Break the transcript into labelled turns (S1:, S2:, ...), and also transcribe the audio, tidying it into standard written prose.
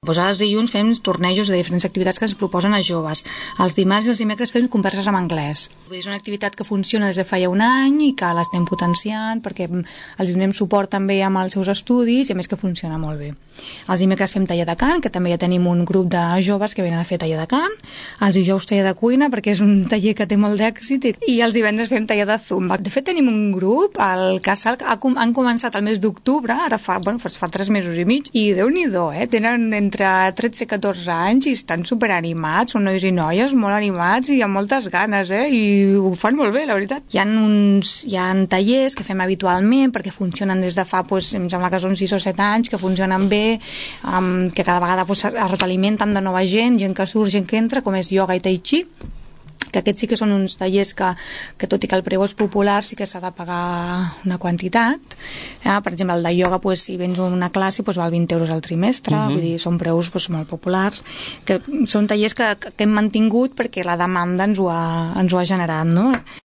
S1: Doncs els dilluns fem tornejos de diferents activitats que ens proposen a joves. Els dimarts i els dimecres fem converses en anglès. És una activitat que funciona des de fa ja un any i que l'estem potenciant perquè els donem suport també amb els seus estudis i a més que funciona molt bé. Els dimecres fem taller de cant, que també ja tenim un grup de joves que venen a fer taller de cant. Els dijous taller de cuina, perquè és un taller que té molt d'èxit, i els divendres fem taller de zumba. De fet, tenim un grup, el Casal, han començat el mes d'octubre, ara fa 3 mesos i mig, i Déu-n'hi-do, tenen entre 13 i 14 anys i estan superanimats, són nois i noies molt animats i amb moltes ganes, i ho fan molt bé, la veritat. Hi ha tallers que fem habitualment perquè funcionen des de fa, em sembla que són 6 o 7 anys, que funcionen bé, que cada vegada es retroalimenten de nova gent que surt, gent que entra, com és ioga i tai chi, que aquests sí que són uns tallers que tot i que el preu és popular sí que s'ha de pagar una quantitat. Per exemple, el de ioga, si vens a una classe, val 20 euros al trimestre, vull dir, són preus molt populars, que són tallers que hem mantingut perquè la demanda ens ho ha generat, no?